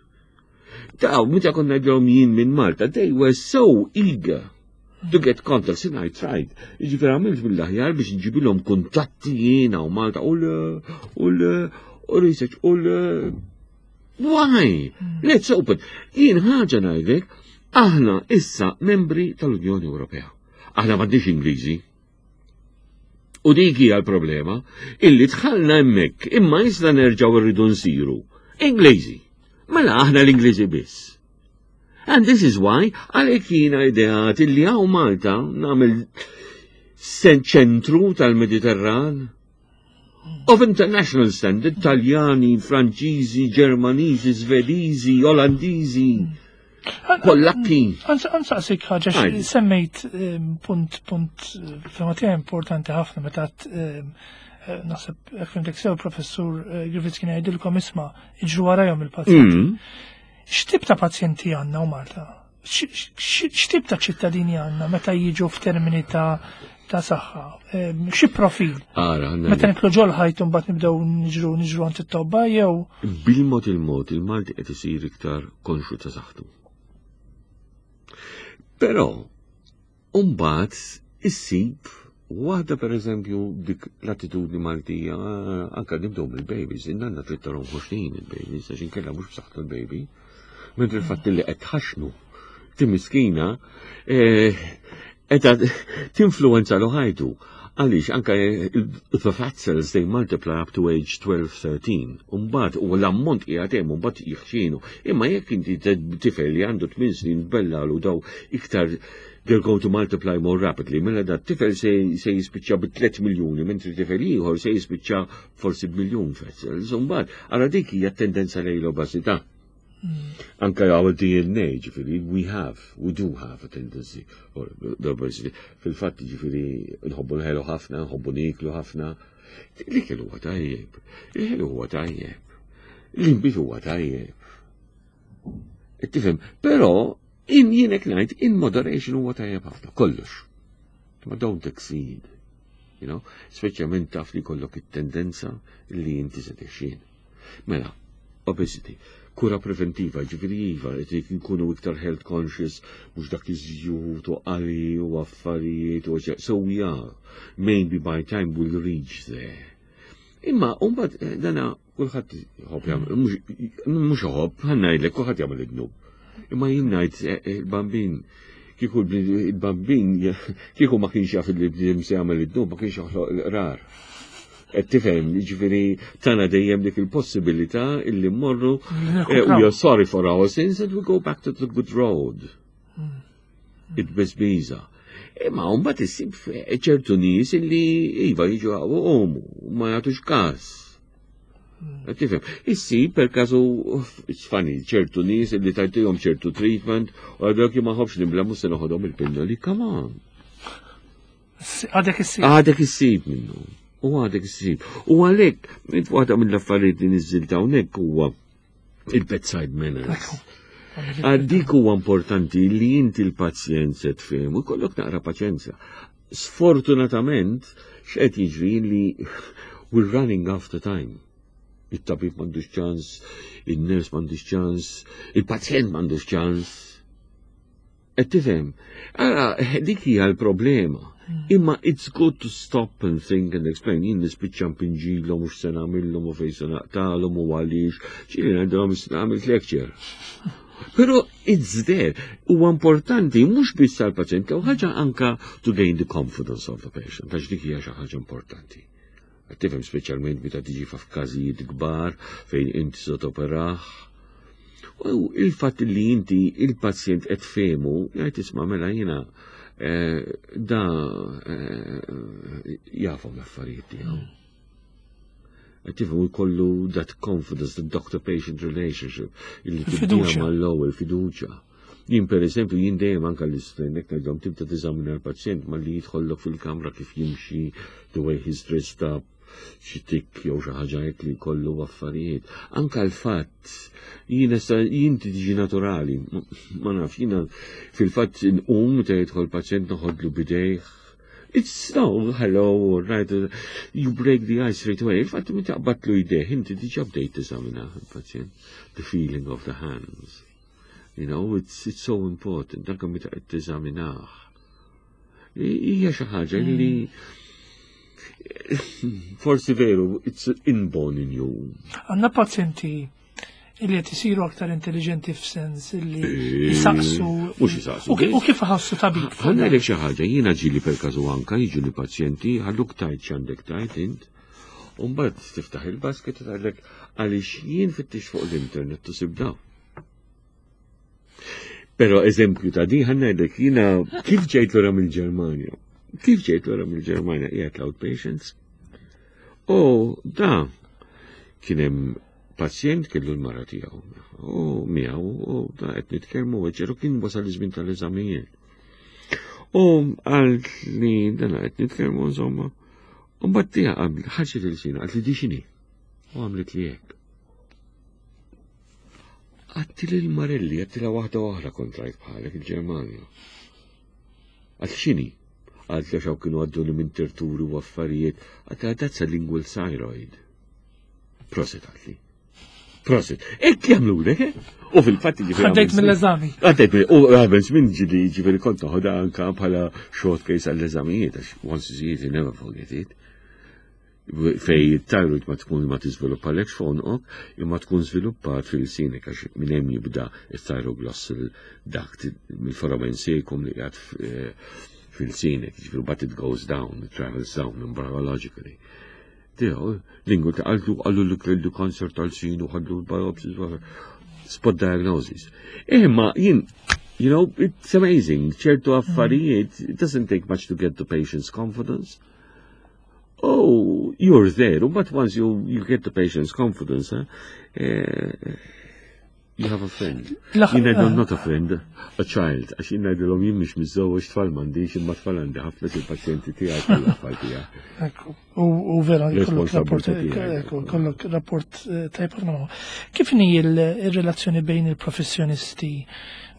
Daw, meta konna ngħidilhom jien minn Malta, they were so eager to get contacts and I tried. Ġifieri għamilt mill-aħjar biex nġibilhom kuntatti jiena u Malta u l u l u research u l Why? Let's open. Jien ħaġa ngħidlek, aħna issa membri tal-Unjoni Ewropea. Aħna m'għandniex Ingliżi. U dik hija l-problema, illi dħalna hemmhekk imma issa nerġgħu rridu nsiru Ingliżi. Mela aħna l-Ingliżi biss. And this is why għalhekk jiena ideat illi hawn Malta nagħmel ċentru tal-Mediterran of international standard, Taljani, Franċiżi, Ġermaniżi, Svediżi, Olandiżi, Pollakki. Nsaqsik ħaġa, Għajdi. semmejt ehm, punt punt fehma tiegħi importanti ħafna meta ehm, eh, naħseb jekk fhimtek sew, Professur eh, Griffiths kien jgħidilkom, isma', iġru warajhom il-pazjenti. Mm. X'tip ta' pazjenti għandna u Malta? X'tip ta' ċittadini għandna meta jiġu f'termini ta' ta' saħħa? Ehm, Xi profil? Ara, għandna Meta nidħlu ġol ħajt mbagħad nibdew niġru niġru għand it-tobba jew bil-mod il-mod il-Malti qed isir iktar konxu ta' saħħtu. Però, mbagħad issib waħda, per eżempju dik l-attitudni Maltija, ah, anka nibdew mill-babies, in-nanna trid tarhom ħoxnin il-babies, għax inkella mhux b'saħħtu l-baby. Mentri il-fatt li qed tħaxnu ti miskina, eh, qed tinfluwenza lu ħajtu. Għaliex, anka eh, the fat cells, they multiply up to age twelve thirteen. Umbagħad, u l-ammont qiegħed hemm, umbagħad jħxinu. Imma jekk inti tifel li għandu tmien snin bellalu daw iktar, they're going to multiply more rapidly. Mela da tifel se, se jispiċċa bi tliet miljuni, mentri tifel ieħor se jispiċċa forsi b'miljun fat cells. Umbagħad, ara dik hija tendenza lejn l-obeżità. Anka our D N A, ġifieri, we have, we do have a tendency for the obesity. Fil-fatt, ġifieri, nħobbu l-ħelu ħafna, nħobbu niklu ħafna. L-ikel huwa tajjeb, il-ħelu huwa tajjeb, l-inbid huwa tajjeb. Tifhem, però in jienek ngħid in moderation huwa tajjeb ħafna, kollox. Ma don't exceed. You know, speċjalment taf li jkollok it-tendenza li inti se tixjieħ. Mela, obesity, kura preventiva, ġifieri iva, qed nkunu iktar health conscious, mhux dak iż-żjut u qali u affarijiet u so we are. Maybe by time we'll reach there. Imma, mbagħad eh, dana kulħadd jħobb jagħmel, mhux iħobb, ħa ngħidlek kulħadd jagħmel id-dnub. Imma jien ngħid eh, eh, il-bambin kieku il-bambin kieku ma kienx jaf li bniedem se jagħmel id-dnub ma kienx joħloq l-qrar. Qed tifhem, jiġifieri tana dejjem dik il-possibilità illi mmorru eh, we are sorry for our sins and we go back to the good road. It-beżbiża. Imma mbagħad issib ċertu nies illi iva jiġu għomu, ma jagħtux każ. Qed tifhem, issib per każu, it's funny, ċertu nies illi tajtihom ċertu treatment u għadok ma ħobx nibla mhux se noħodhom il-pinnoli, come on. Għadek issib. Għadek issib minnu. U għadek issib. U għalhekk, waħda mill-affarijiet li niżżilt hawnhekk huwa il-bedside manners. Għaddik huwa importanti li inti l-pazjent se tfhem u jkollok naqra paċenzja. Sfortunatament, x'qed jiġri li we're running after time. Il-tabib m'għandux ċans, il-nurse m'għandux ċans, il-pazjent m'għandux ċans. Qed tifhem? Ara, dik hija l-problema. Imma it's good to stop and think and explain. Jien nispiċċa npinġilhom mhux se nagħmilhom u fejn se naqtalhom u għaliex. Ġieli ngħidilhom se nagħmel lecture. Però it's there. Huwa importanti mhux biss għall-pazjent, u ħaġa anka to gain the confidence of the patient, għax dik hija xi ħaġa importanti. Tifhem speċjalment meta tiġi f'każijiet kbar fejn inti se toperah. U il-fatt li inti il-pazjent qed fehmu, jgħid isma' mela jiena eh, da eh, jafhom l-affarijiet tiegħu. Tifhem jkollu that confidence, the doctor-patient relationship, illi tibdija Il-fiduċja. mal-ewwel fiduċja. Jien per eżempju, jien dejjem anka l-istudent ngħidhom tibda teżamina l-pazjent malli jidħollok fil-kamra kif jimxi, the way he's dressed up, xi tik jew xi ħaġa hekk li jkollu affarijiet. Anka l-fatt jiena sa jien tiġi naturali, ma naf, jiena fil-fatt nqum meta jidħol pazjent noħodlu b'idejh. It's no, hello, right, you break the ice straight away. Il-fatt meta taqbadlu jdejh, inti diġà bdejt teżamina il-pazjent. The feeling of the hands. You know, it's, it's so important. Anka meta qed teżaminah. Hija xi ħaġa li forsi veru, it's inborn in you. Għandna pazjenti illi qed isiru aktar intelligenti f'sens illi jisaqsu. Mhux jisaqsu. U ki- U kif ħassu tabib? Ħa ngħidlek xi ħaġa, jiena ġieli per każu anka jiġu li pazjenti ħalluk tajt x'għandek tajt int. U mbagħad tiftaħ il-basket u tgħidlek għaliex jien fittix fuq l-internet u sib daw. Però eżempju ta' di ħa ngħidlek jiena kif ġejt lura mill-Ġermanja. Kif ġejt lura mill-Ġermanja qiegħed l-outpatients. U da kien hemm pazjent kellu l-mara tiegħu. U miegħu u da qed nitkellmu weġġeru kien wasal iż-żmien tal-eżamijiet. U għal li dana qed nitkellmu insomma. U mbagħad tiegħha qabel ħarġet il-sina qalt li di x'inhi. U għamlet li hekk. Għedtilha lil Marelli, għedtilha waħda oħra kont rajt bħalek il-Ġermanja. Għalt x'inhi? Għalt li xaw kienu għadduni minn terturi u affarijiet. Għedtilha that's a lingual thyroid. Prosit għaltli. Prosit. Hekk jagħmlu lek, eh? U fil-fatt ġifieri. Għaddejt mill-eżami. Għaddejt mill u għabel żmien ġili ġifieri kont noħodha anka bħala short case għall-eżamijiet, għax once you see it, you never forget it. Fej thyroid ma tkun ma tiżviluppa lek f'għonqok, imma tkun żviluppat fil-sinek għax minn hemm jibda il-thyroglossal duct mill-foramen cecum li qiegħed fil-sinek, ġifieri but it goes down, it travels down embryologically. Tiegħu, lingwu ta' għallu għallu li kellu kanser tal-sin u ħadlu biopsies, spot diagnosis. Imma jien, you know, it's amazing, ċertu affarijiet, it doesn't take much to get the patient's confidence. Oh, you're there, but once you, you get the patient's confidence, eh, eh, You have a friend. Jien ngħidilhom not a friend, a child. Għax jien ngħidilhom jien mhix miżżewweġ, tfal m'għandix, imma tfal għandi ħafna, il-pazjenti tiegħi kollha tfal tiegħi. U vera, kollok rapport, kollok rapport eh, tajb ħafna. Kif inhi il-relazzjoni bejn il-professjonisti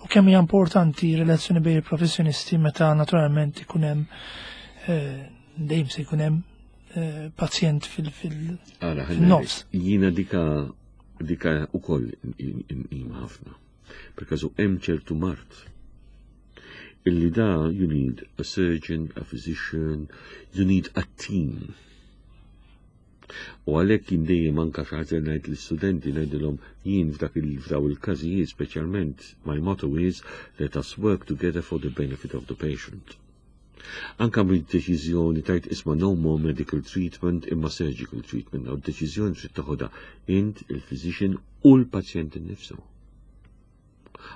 u kemm hija importanti relazzjoni bejn il-professjonisti meta naturalment ikun hemm eh, dejjem se jkun hemm eh, pazjent fil-nofs? Jiena dika dika u koll inqima ħafna. Perkażu hemm ċertu mard illi da you need a surgeon, a physician, you need a team. U għalhekk jien dejjem anka xi ħaġa ngħid l-istudenti, ngħidilhom jien f'dak il-fdaw il-każijiet speċjalment, my motto is "Let us work together for the benefit of the patient." Anka mid-deċiżjoni tajt isma' no more medical treatment imma surgical treatment, u deċiżjoni trid toħodha int, il-physician u l-pazjent innifsu.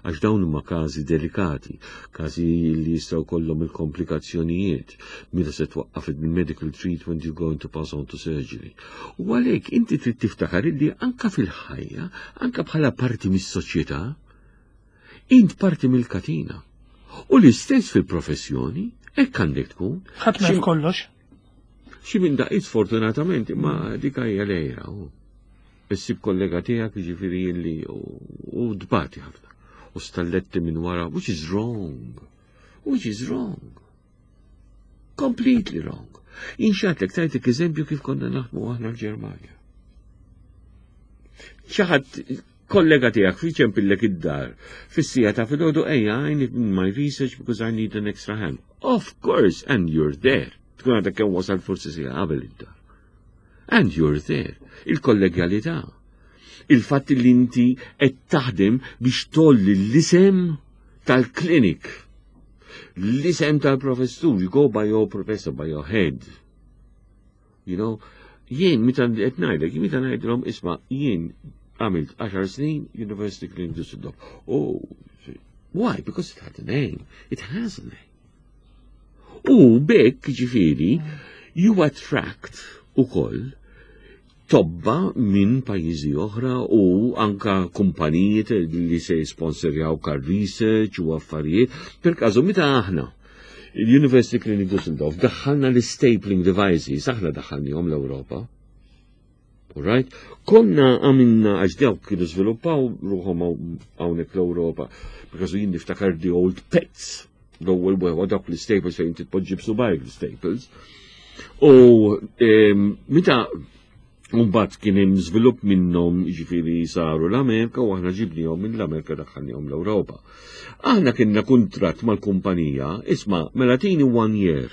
Għax dawn huma każi delikati, każi li jistgħu kollhom il-komplikazzjonijiet. Meta se twaqqaf il-medical treatment, you're going to pass on to surgery. U għalhekk inti trid tiftakar illi anka fil-ħajja, anka bħala parti mis-soċjetà, int parti mill-katina. U l-istess fil-professjoni, hekk għandek tkun. Ħadd ma kollox. Xi minn daqqiet sfortunatament, imma dik hija lejra. Issib kollega tiegħek jiġifieri li u dbati ħafna. U stalletti minn wara, which is wrong. Which is wrong. Completely wrong. Inxatlek tajtek eżempju kif konna naħdmu aħna l-Ġermanja. Xi ħadd kollega tiegħek iċempillek id-dar fis-siegħa ta' filgħodu, "Ejja, I need my research because I need an extra hand." Of course, and you're there. Tkun għadek kemm wasal forsi siegħa qabel id-dar. And you're there. Il-kollegjalità. Il-fatt li inti qed taħdem biex tgħolli l-isem tal-klinik. L-isem tal-professur, you go by your professor, by your head. You know, jien meta qed ngħidlek, meta ngħidilhom isma' jien għamilt għaxar snin University Clinic Düsseldorf. Oh, why? Because it had a name. It has a name. U bekk ġifieri, you attract ukoll tobba minn pajjiżi oħra u anka kumpanijiet li se jisponsorjaw kar research u affarijiet. Per każu meta aħna l-University Clinic Düsseldorf daħħalna l-stapling devices, aħna daħħalnihom l-Ewropa. Alright? Konna għamilna, għax dawk kienu żviluppaw ruħhom hawnhekk l-Ewropa, because jien niftakar the old pets, l-ewwel wewa dawk l-staples fejn titpoġġi b'subgħajk l-staples. U meta mbagħad kien hemm żvilupp minnhom, jiġifieri saru l-Amerika u aħna ġibnihom minn l-Amerika, daħħalnihom l-Ewropa. Aħna kienna kuntratt mal-kumpanija, isma' mela tini one year.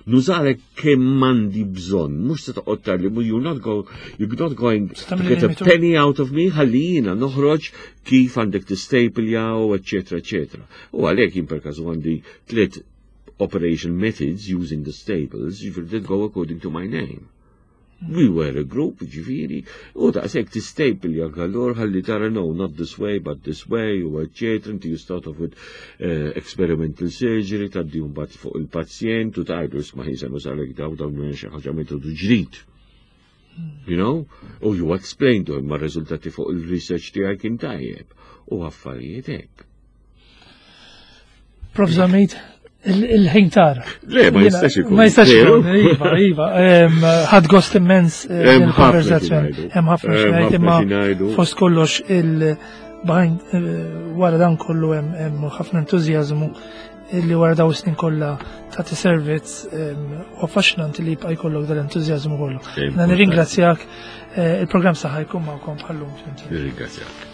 Nużalek kemm m'għandi bżonn, mhux se toqgħod tgħidli, you're not go, you're not going to get a penny out of me, ħalli jiena noħroġ kif għandek tistapeljaw, eċetera, eċetera. U għalhekk jien per każu għandi tliet operation methods using the staples, jiġifieri that go according to my name. We were a group, ġifieri, u daqshekk tistapel għallur ħalli tara no, not this way, but this way, u eccetera, inti you start off with uh, experimental surgery, tgħaddi mbagħad fuq il-pazjent u tgħidu isma' ħisa nużalek daw daw minn xi ħaġa metodu ġdid. You know? U you explain to him ma' riżultati fuq il-research tiegħi kien tajjeb. U affarijiet hekk. Prof Zammit, il-ħin tara. Le, ma jistax ikun. Ma jistax ikun, iva, iva. Ħadt gost immens eh, il-konverzazzjoni. Hemm ħafna x'ngħid, imma fost kollox il behind eh, wara dan kollu hemm ħafna entużjażmu li wara daw snin kollha tagħti servizz u affaxxinanti li jibqa' jkollok dal-entużjażmu kollu. Nirringrazzjak, eh, il-programm Saħħa jkun magħkom bħallum. Nirringrazzjak.